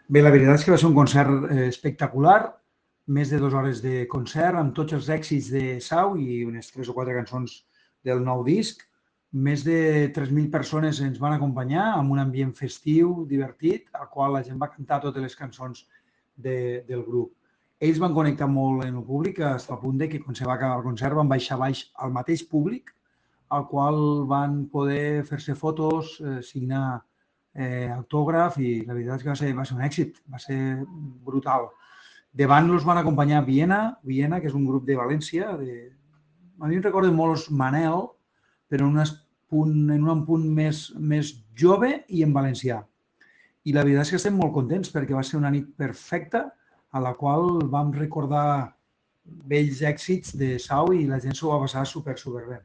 Bé, la veritat és que va ser un concert espectacular, més de 2 hores de concert, amb tots els èxits de Sau i unes 3 o 4 cançons del nou disc. Més de 3.000 persones ens van acompanyar amb un ambient festiu, divertit, al qual la gent va cantar totes les cançons del grup. Ells van connectar molt en el públic, fins al punt de que quan se va acabar el concert van baixar baix al mateix públic, al qual van poder fer-se fotos, signar autògraf i la veritat és que va ser un èxit, va ser brutal. Davant els van acompanyar Viena, que és un grup de València. A mi em recorden molt els Manel, però en un punt més jove i en valencià. I la veritat és que estem molt contents perquè va ser una nit perfecta a la qual vam recordar vells èxits de Sau i la gent s'ho va passar super bé.